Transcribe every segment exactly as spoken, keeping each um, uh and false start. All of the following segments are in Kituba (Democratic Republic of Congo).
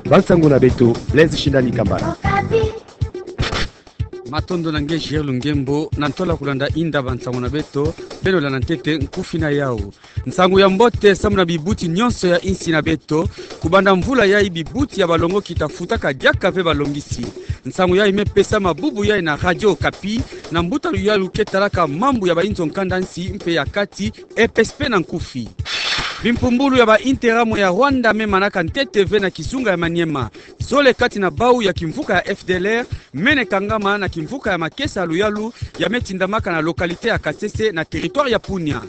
Bansango na beto, Blaise Shindani Kambala. Matondo na nge Gilles Lungembo, na ntola kulanda inda bansango na beto, beno landa ntete nkufi na yau. Nsangu ya mbote samu na bibuti nyonso ya insi na beto. Kubanda mvula yai bibuti ya balongoki ta futaka diaka ve balongisi. Nsangu yai me pesama bubu yai na Radio Okapi, na mbuta luyalu ke talaka mambu ya bainzo nkanda nsi mpe ya kati, epesi pe na nkufi. Bimpumbulu ya ba Interahamwe ya Rwanda me manaka ntete ve na kizunga ya Maniema. Zole kati na bau ya kimvuka ya F D L R, mene kangama na kimvuka ya makesa luyalu ya me tindamaka na localité ya Kasese na territoire ya Punia.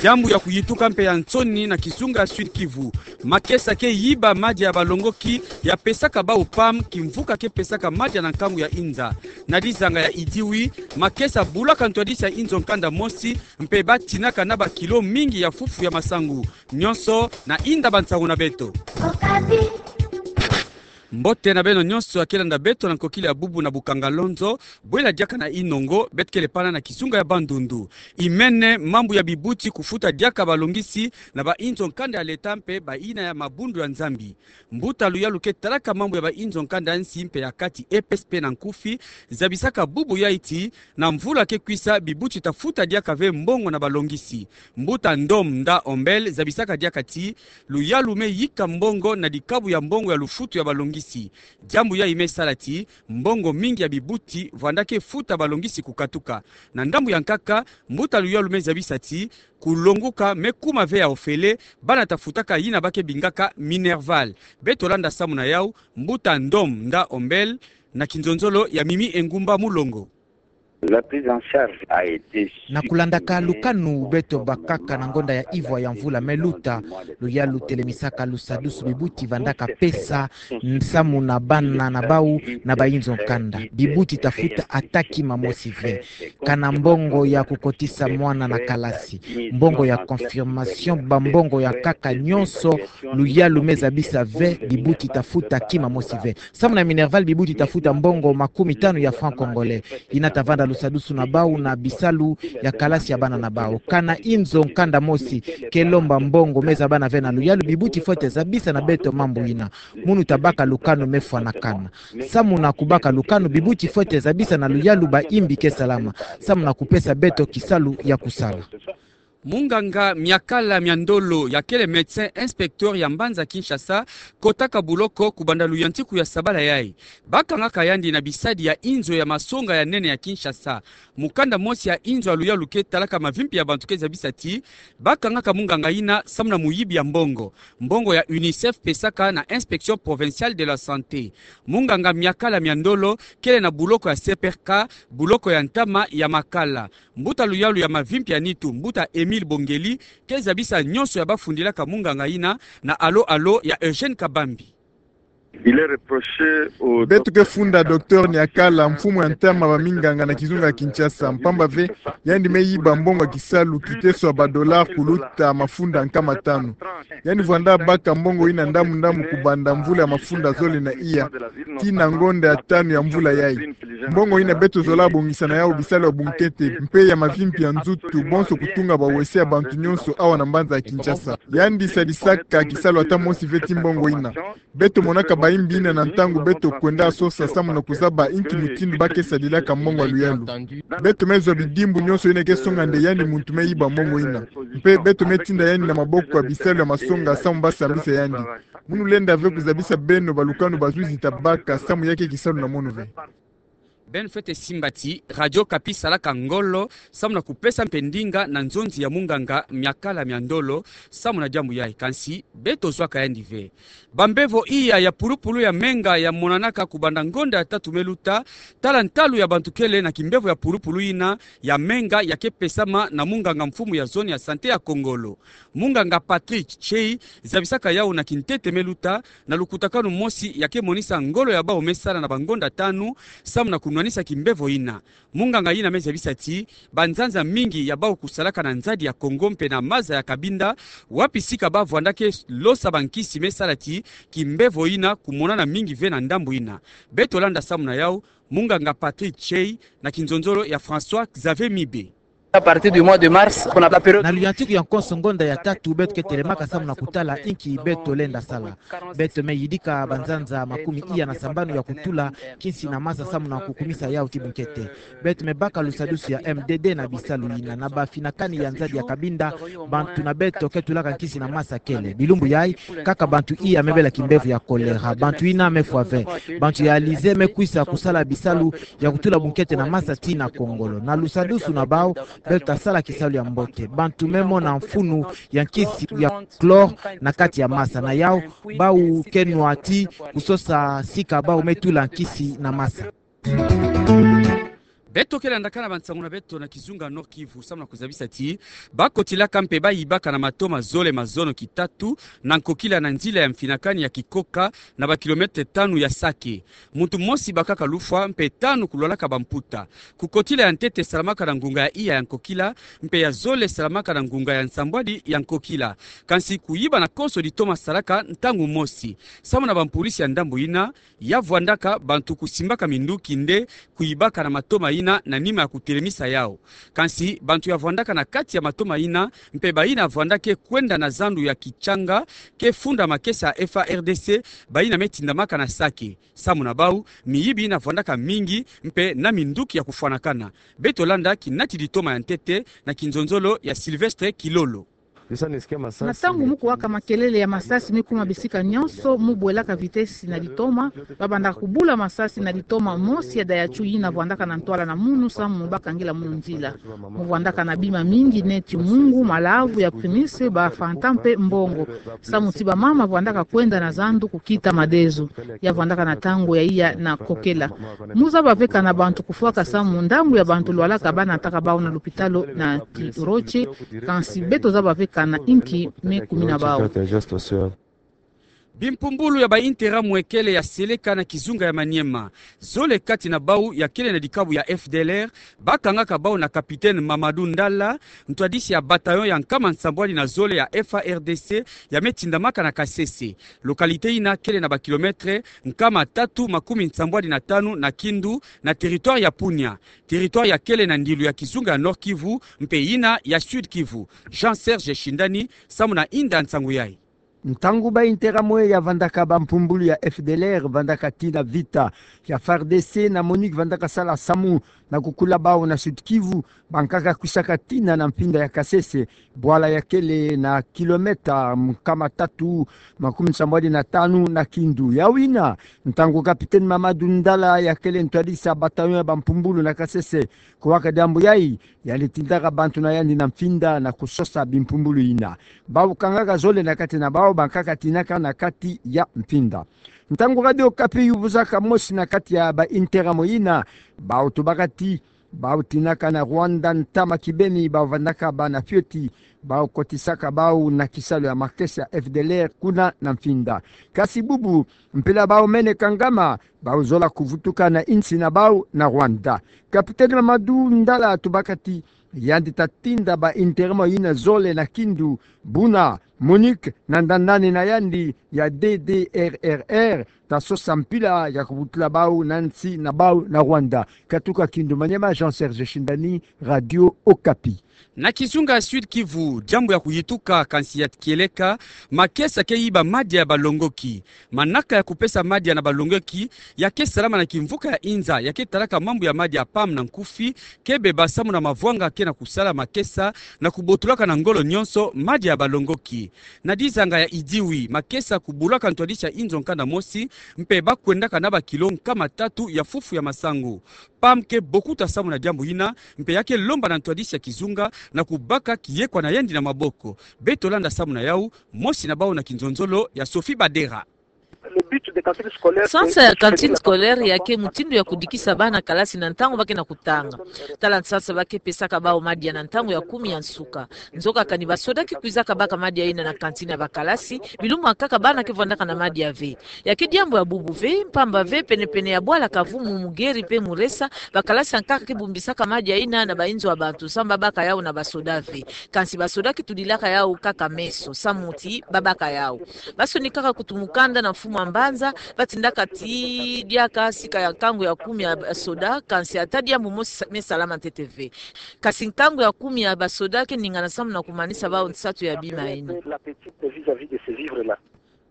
Diambu ya kuyituka mpe ya nsoni na kizunga ya Sud Kivu. Makesa ke yiba madia ya balongoki ya pesaka bau PAM, kimvuka ke pesaka madia na nkangu ya inza. Na dizanga ya Idioui, makesa bulaka ntwadisi ya inzo nkanda mosi, mpe ba tinaka na ba kilo mingi ya fufu ya masangu. Nyonso na inda bansangu na beto. Mbote na beno nyonso ya ke landa beto na nkokila ya bubu na bukanga lonzo, bwela diaka na inongo, beto kele pana na kizunga ya Bandundu. Imene mambu ya bibuti kufuta diaka balongisi na bainzo nkanda ya leta mpe bayina ya mabundu ya Nzambi. Mbuta luyalu ke talaka mambu ya bainzo nkanda nsi mpe ya kati, epesi pe na nkufi, zabisaka bubu yai ti, na mvula ke kwisa bibuti ta futa diaka ve mbongo na balongisi. Mbuta Ndom Nda Ombel zabisaka diaka ti, luyalu me yika mbongo na dikabu ya mbongo ya lufutu ya balongisi. Diambu yai me sala ti, mbongo mingi ya bibuti vwanda ke futa balongisi kukatuka. Na ndambu ya nkaka, mbuta luyalu me zabisa ti, kulonguka me kuma ve ya ofele, bana ta futaka yina ba ke bingaka minerval. Beto landa samu na yau, mbuta Ndom Nda Ombel, na kinzonzolo ya Mimi Engumba Mulongo. La prise en charge a été. Na kulandaka lukanu beto bakaka na ngonda ya ivwa ya mvula me luta, luyalu telemisaka lusadusu bibuti vandaka pesa, nsamu na bana na bau na bainzo nkanda. Bibuti ta futa ata kima mosi ve. Kana mbongo ya kukotisa mwana na kalasi, mbongo ya confirmation, bambongo ya nkaka nyonso, luyalu me zabisa ve, bibuti ta futa kima mosi ve. Samu na minerval bibuti ta futa mbongo makumi tanu ya francs congolais. Yina ta vanda lusadusu na bau na bisalu ya kalasi ya bana na bau. Kana inzo nkanda mosi ke lomba mbongo me zabana ve na luyalu, bibuti fwete zabisa na beto mambu yina. Munu ta baka lukanu me fwanakana. Samu na kubaka lukanu, bibuti fwete zabisa na luyalu baimbi ke salama. Samu na kupesa beto kisalu ya kusala. Munganga Miakala Miandolo, ya kele médecin inspecteur ya mbanza Kinshasa, kotaka buloko kubanda luyantiku ya sabala yai. Bakangaka yandi na bisadi ya inzo ya masonga ya nene ya Kinshasa. Mukanda mosi ya inzo ya luyalu ke talaka mavimpi ya bantu ke zabisa ti, bakangaka munganga yina samu na muyibi ya mbongo. Mbongo ya UNICEF pesaka na Inspection Provinciale de la Santé. Munganga Miakala Miandolo kele na buloko ya C P R K, buloko ya ntama ya Makala. Mbuta luyalu ya mavimpi ya nitu, mbuta Émile Bongeli, ke zabisa nyonso ya bafundilaka munganga yina na alo-alo ya Eugène Kabambi. Il est reproché au... Beto ke funda docteur Niakala, mfumu ya ntama baminganga na kizunga ya Kinshasa, mpamba ve yandi me yiba mbongo ya kisalu kiteso ya ba dollars kuluta mafunda nkama tanu. Yandi vwanda baka mbongo yina ndamu-ndamu kubanda mvula ya mafunda zole na iya, tii na ngonda ya tanu ya mvula yai. Mbongo yina beto zola bongisa na yau bisalu ya bunkete, mpe ya mavimpi ya nzutu, bonso kutunga bawese ya bantu nyonso awa na mbanza ya Kinshasa. Yandi sadisaka kisalu ata mosi ve tii mbongo yina. Beto monaka baimbi yina na ntangu beto kwenda sosa samu na kuzaba inki mutindu ba ke sadilaka mbongo ya luyalu. Beto me zwa bidimbu nyonso yina ke songa nde yandi muntu me yiba mbongo yina. Mpe beto me tinda yandi na maboko ya bisalu ya masonga samu ba sambisa yandi. Munu lenda ve kuzabisa beno ba lukanu bazwizi ta baka samu ya kei kisalu na mono ve. Beno fwete simba ti Radio Okapi salaka ngolo samu na kupesa mpe ndinga na nzonzi ya munganga Miakala Miandolo samu na diambu yai, kansi beto zwaka yandi ve. Bambevo iya ya pulupulu ya menga ya monanaka kubanda ngonda ya tatu me luta, tala ntalu ya bantu kele na kimbevo ya pulupulu yina ya menga ya ke pesama na munganga mfumu ya zone ya santé ya Kongolo. Munganga Patrick Chei zabisaka yau na kintete me luta, na lukutakanu mosi ya ke monisa ngolo ya bau me sala na bangonda tanu samu na kunwanisa kimbevo yina. Munganga yina me zabisa ti, banzanza mingi ya bau kusalaka na nzadi ya Kongo mpe na maza ya Cabinda, wapi sika ba vwanda ke losa bankisi me sala ti kimbevo yina kumonana mingi ve na ndambu yina. Beto landa samu na yau, munganga Patrick Chei, na kinzonzolo ya François Xavier Mibe. À partir du mois de mars, qu'on a la période. Na luyantiku ya nkonso ngonda ya tatu, beto ke telemaka samu na kutala inki beto lenda sala. Beto me yidika banzanza makumi iya na sambanu ya kutula nkisi na masa samu na kukumisa yau ti bunkete. Beto me baka lusadusu ya M D D na bisalu yina, na bafinakani ya nzadi ya Cabinda, bantu na beto ke tulaka nkisi na masa kele. Bilumbu yai, kaka bantu iya me bela kimbevo ya choléra, bantu yina me fwa ve, bantu ya ALISEE me kwisa kusala bisalu ya kutula bunkete na masa tii na kongolo. Na lusadusu na bau, beto ta sala kisalu ya mbote. Bantu me mona mfunu ya nkisi ya chlore na kati ya masa na yau, bau ke nwa tii kusosa sika bau me tula nkisi na masa. Beto ke landaka na bansangu na beto na kizunga Nord-Kivu, samu na kuzabisa ti bakotilaka mpe bayibaka na matoma zole ma zono kitatu na nkokila na nzila ya mfinakani ya Kikoka, na ba kilomètre tanu ya Sake. Muntu mosi bakaka lufwa mpe tanu kulwalaka bamputa. Kukotila ya ntete salamaka na ngunga ya iya ya nkokila, mpe ya zole salamaka na ngunga ya nsambwadi ya nkokila. Kansi kuyiba na konso ditoma salaka ntangu mosi. Samu na bampulisi ya ndambu yina, ya vwandaka bantu kusimbaka minduki nde kuyibaka na matoma yina na nima ya kutelemisa yau. Kansi bantu ya vwandaka na kati ya matoma yina, mpe bayina vwandaka kwenda na zandu ya Kichanga, ke funda makesa ya F A R D C, bayina me tindamaka na Sake. Samu na bau, miyibi yina vwandaka mingi, mpe na minduki ya kufwanakana. Beto landa kinati ditoma ya ntete na kinzonzolo ya Sylvestre Kilolo. Na ntangu mu kuwaka makelele ya masasi me kuma bisika nyonso, mu bwelaka vitesse na ditoma, babandaka kubula masasi na ditoma mosi ya Daihatsu yina vwandaka na ntwala na munu samu mu baka ngila munu nzila. Mu vwandaka na bima mingi neti mungu, malavu ya primus, ba Fanta mpe mbongo. Samu ti bamama vwandaka kwenda na zandu kukita madezo. Ya vwandaka na ntangu ya iya na kokela. Mu zaba ve kana bantu kufwaka samu ndambu ya bantu lwalaka banataka bau na lupitalu na Kiroche, kansi beto zaba ve kana inki me kumina bau. Bimpumbulu ya ba Interahamwe kele ya seleka na kizunga ya Maniema. Zole kati na bau ya kele na dikabu ya F D L R, bakangaka bau na Capitaine Mamadou Ndala, ntwadisi ya bataillon ya nkama nsambwadi na zole ya F A R D C, ya me tindamaka na Kasese. Localité yina kele na ba kilomètre nkama tatu makumi nsambwadi na tanu na Kindu, na territoire ya Punia. Territoire ya kele na ndilu ya kizunga ya Nord-Kivu, mpe yina ya Sud-Kivu. Jean-Serge Shindani, samu na inda nsangu yai. Ntangu ba Interahamwe ya vandaka bampumbulu ya F D L R, vandaka tii na vita ya F A R D C na MONUC vandaka sala samu na kukula bau na Sud-Kivu, bankaka kwisaka tina na mfinda ya Kasese, bwala ya kele na kilomètre nkama tatu makumi nsambwadi na tanu na Kindu. Yau yina, ntangu Capitaine Mamadou Ndala ya kele ntwadisi ya bataillon ya bampumbulu na Kasese kuwaka diambu yai, yandi tindaka bantu na yandi na mfinda na kusosa bimpumbulu yina. Bau kangaka zole na kati na bau, bankaka tinaka na kati ya mfinda. Ntangu Radio Okapi yuvuzaka mosi na kati ya ba Interahamwe yina, bau tubaka ti bau tinaka na Rwanda ntama kibeni, bau vandaka bana fioti, bau kotisaka bau na kisalu ya makesa ya F D L R kuna na mfinda. Kasi bubu, mpila bau mene kangama, bau zola kuvutuka na insi na bau na Rwanda. Capitaine Mamadou Ndala tubaka ti yandi ta tinda ba Interahamwe yina zole na Kindu, buna MONUC na ndanani na yandi ya D D R R R ta sosa mpila ya kubutula bau na nsi na bau na Rwanda. Katuka Kindu Maniema, Jean-Serge Shindani, Radio Okapi. Na kizunga ya Sud-Kivu, diambu ya kuyituka kansi ya kieleka, makesa ke yiba madia ya balongoki. Manaka ya kupesa madia na balongoki ya ke salama na kimvuka ya Inza, ya ke talaka mambu ya madia ya PAM na nkufi, ke beba samu na mavwanga ke na kusala makesa na kubotulaka na ngolo nyonso madia ya balongoki. Na dizanga ya Idioui, makesa kubulaka ntwadisi ya inzo nkanda mosi, mpe bakwendaka na ba kilo nkama tatu ya fufu ya masangu. PAM ke bokuta samu na diambu yina, mpe ya ke lomba na ntwadisi ya kizunga na kubaka kiyekwa na yandi na maboko. Beto landa samu na yau, mosi na bau na kinzonzolo ya Sophie Badera. Sansa ya cantine scolaire ya ke mutindu ya kudikisa bana kalasi na ntangu ba ke na kutanga. Tala nsansa ba ke pesaka bau madia na ntangu ya kumi ya nsuka. Nzoka kani basoda ke kwizaka baka madia yina na cantine ya bakalasi, bilumbu ya nkaka bana ke vwandaka na madia ve. Ya ke diambu ya bubu ve, mpamba ve, pene-pene ya bwala Kavumu, Mugeri mpe Muresa, bakalasi ya nkaka ke bumbisaka madia yina na bainzo ya bantu, samu ba baka yau na basoda ve. Kansi basoda ke tudilaka yau kaka meso, samu ti ba baka yau. Basonikaka kutu mukanda na mfumu mwa mbanza, batindaka ti diaka sika ya nkangu ya kumi ya basoda, kansi ata diambu mosi me salama ntete ve. Kasi nkangu ya kumi ya basoda ke ningana samu na kumanisa bawu nsatu ya bima ina.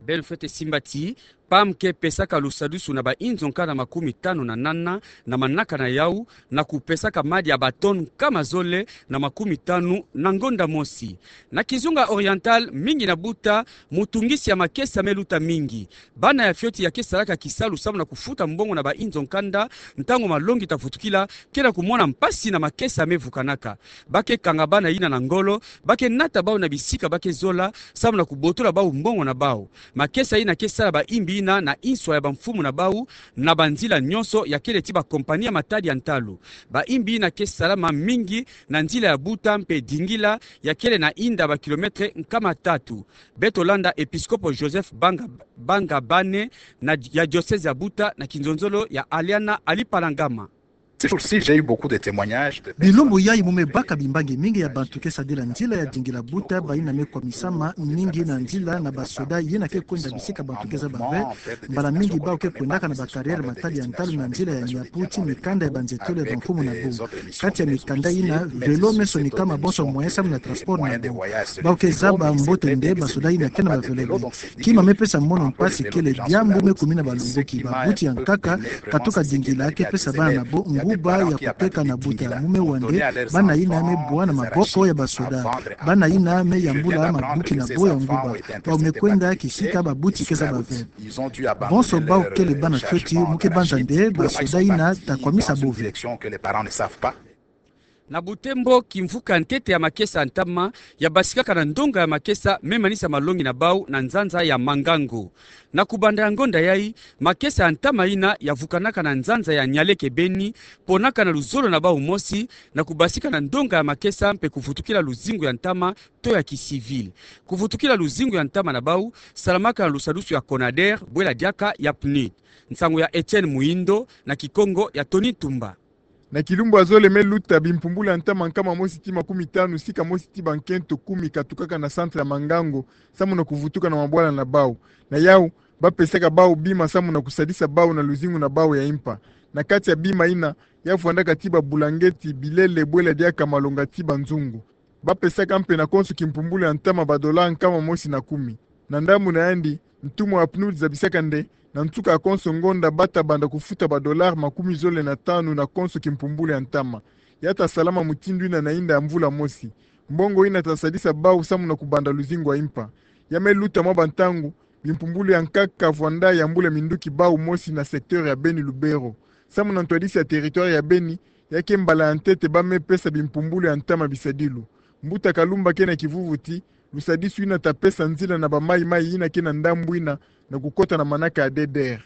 Beno fwete simba ti, P A M ke pesaka lusadusu na bainzo nkanda makumi tanu na nana na manaka na yawu, na kupesaka madi ya batone nkama zole na makumi tanu na ngonda mosi. Na kizunga oriental, mingi na Buta, mutungisi ya makesa me luta mingi. Bana ya fioti ya ke salaka kisalu samu na kufuta mbongo na bainzo nkanda, ntangu malongi ta vutukila, ke na kumona mpasi na makesa me vukanaka. Ba ke kanga bana ina na ngolo, ba ke nata bawu na bisika ba ke zola, samu na kubotola bawu mbongo na bawu. Makesa ina ke sala baimbi ina na inswa ya bamfumu na bawu, na banzila nyonso ya kele ti bakompani ya matadi ya ntalu. Baimbi ina ke salama mingi na nzila ya Buta mpe Dingila ya kele na inda bakilometre nkama tatu. Beto landa Episkopo Joseph Banga, Banga Bane na, ya diocèse ya Buta na kinzonzolo ya Aliana Alipalangama. Ces jours-ci, j'ai eu beaucoup de témoignages de personnes. Bilumbu yayi mu me baka bimbangi mingi ya bantu ke sadila nzila ya Dingila Buta, bayina me kwamisama mingi na nzila na basoda yina ke kwenda bisika bantu ke zaba ve. Mbala mingi bawu ke kwendaka na bacarrière matadi ya ntalu na nzila ya nyapu ti mikanda ya banzetolo ya bamfumu na bawu. Kati ya mikanda yina, vélo me sonikama bonso moyen samu na transport na bawu. Bawu ke zaba mbote nde basoda yina ke na ba vélo ve. Kima me pesa mono mpasi kele diambu me kumina balumbuki. Babuti ya nkaka katuka Dingila ke pesa bana na bawu nguba ya kuteka na Buta. Mu me wa nde bana yina me bwa na maboko ya basoda. Bana yina me yambula mabuki na bawu ya nguba. Bawu me kwenda kisika babuti ke zaba ve. Bonso bawu kele bana fioti, mu ke banza nde basoda yina ta kwamisa bawu ve. Na Butembo, kimvuka ntete ya makesa ya ntama ya basikaka na ndonga ya makesa me manisa malongi na bawu na nzanza ya Mangango. Na kubanda ya ngonda yayi, makesa ya ntama yina ya vukanaka na nzanza ya Nialeke Beni, ponaka na luzolo na bawu mosi, na kubasika na ndonga ya makesa mpe kuvutukila luzingu ya ntama to ya kicivil. Kuvutukila luzingu ya ntama na bawu salamaka na lusadusu ya Conader, bwela diaka ya PNUD. Nsangu ya Etienne Muindo, na Kikongo ya Tony Tumba. Na kilumbu ya zole me luta, bimpumbulu ya ntama nkama mosi ti makumi tanu sika mosi ti bankento kumi katukaka na centre ya Mangango, samu na kuvutuka na mabwala na bawu. Na yawu, ba pesaka bawu bima samu na kusadisa bawu na luzingu na bawu ya impa. Na kati ya bima yina, ya vwandaka ti babulangeti, bilele, bwela diaka malonga ti banzungu. Ba pesaka mpe na konso kimpumbulu ya ntama ba dollars nkama mosi na kumi. Na ndambu na yandi, ntumwa ya PNUD zabisaka nde, na nsuka ya konso ngonda ba ta banda kufuta ba dollars makumi zole na tanu na konso kimpumbulu ya ntama. Ya ta salama mutindu yina na inda ya mvula mosi. Mbongo yina ta sadisa bawu samu na kubanda luzingu ya impa. Ya me luta mwa bantangu, bimpumbulu ya nkaka vwanda yambula minduki bawu mosi na secteur ya Beni Lubero. Samu na ntwadisi ya territoire ya Beni, ya ke mbala ya ntete ba me pesa bimpumbulu ya ntama bisadilu. Mbuta Kalumba ke na kivuvu ti, lusadisu yina ta pesa nzila na ba mayi-mayi yina ke na ndambu yina na kukota na manaka ya D D R.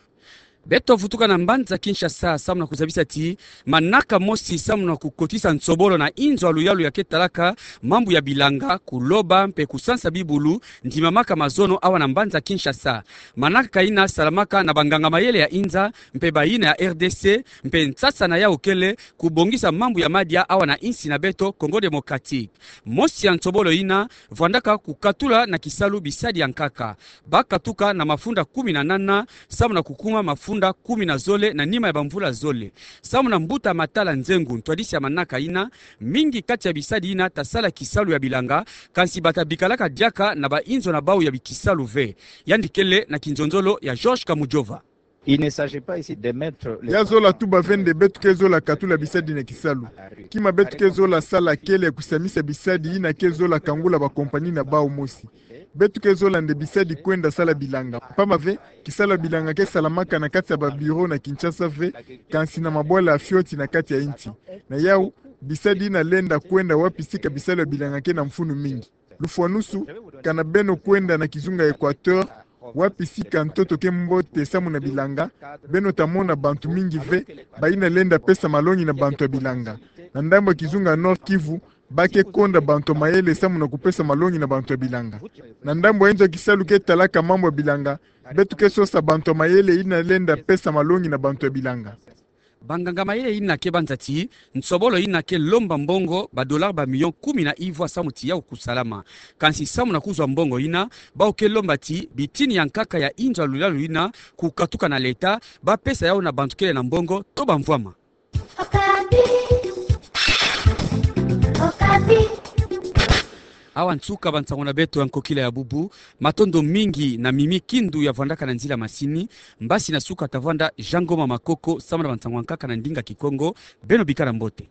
Beto vutuka na mbanza Kinshasa samu na kuzabisa ti, manaka mosi samu na kukotisa nsobolo na inzo ya luyalu ya ke talaka mambu ya bilanga, kuloba mpe kusansa bibulu, ndimamaka mazono awa na mbanza Kinshasa. Manaka yina salamaka na banganga-mayele ya inza mpe bayina ya R D C, mpe nsasa na yawu kele kubongisa mambu ya madia awa na insi na beto Congo Démocratique. Mosi ya nsobolo yina vwandaka kukatula na kisalu bisadi ya nkaka. Ba katuka na mafunda kumi na nana, samu na kukuma mafunda kumi na zole na nima ya bamvula zole. Samu na mbuta Matala Nzengu, ntwadisi ya manaka yina, mingi kati ya bisadi yina ta sala kisalu ya bilanga, kansi ba ta bikalaka diaka na bainzo na bawu ya bikisalu ve. Yandi kele na kinzonzolo ya Georges Kamujova. Il ne s'agit pas ici de mettre les... Ya zola tuba ve nde beto ke zola katula bisadi na kisalu. Kima beto ke zola sala kele kusamisa bisadi yina ke zola kangula bakompani na bawu mosi. Beto ke zola nde bisadi kwenda sala bilanga. Mpamba ve, kisalu ya bilanga ke salamaka na kati ya babureau na Kinshasa ve, kansi na mabwala ya fioti na kati ya insi. Na yawu, bisadi yina lenda kwenda wapi sika bisalu ya bilanga ke na mfunu mingi. Lufwanusu, kana beno kwenda na kizunga Equateur, wapi sika ntoto ke mbote samu na bilanga, beno ta mona bantu mingi ve, bayina lenda pesa malongi na bantu ya bilanga. Na ndambu ya kizunga Nord-Kivu, ba ke konda bantu ya mayele samu na kupesa malongi na bantu ya bilanga. Na ndambu ya inzo ya kisalu ke talaka mambu ya bilanga, beto ke sosa bantu ya mayele yina lenda pesa malongi na bantu ya bilanga. Banganga-mayele ina ke banza ti nsobolo ina ke lomba mbongo ba dollars ba millions kumi na ivwa samu ti yau kusalama. Kansi samu na kuzwa mbongo ina, bau ke lomba ti bitini ya nkaka ya inzo ya lulalu ina kukatuka na leta, bapesa yau na bantu kele na mbongo to bamvwama. Awa nsuka bansango na beto ya nkokila ya bubu. Matondo mingi na Mimi Kindu ya vwandaka na nzila masini. Mbasi na suka tavwanda Jean Ngoma Makoko samu na bansango ya nkaka na ndinga Kikongo. Beno bikala mbote.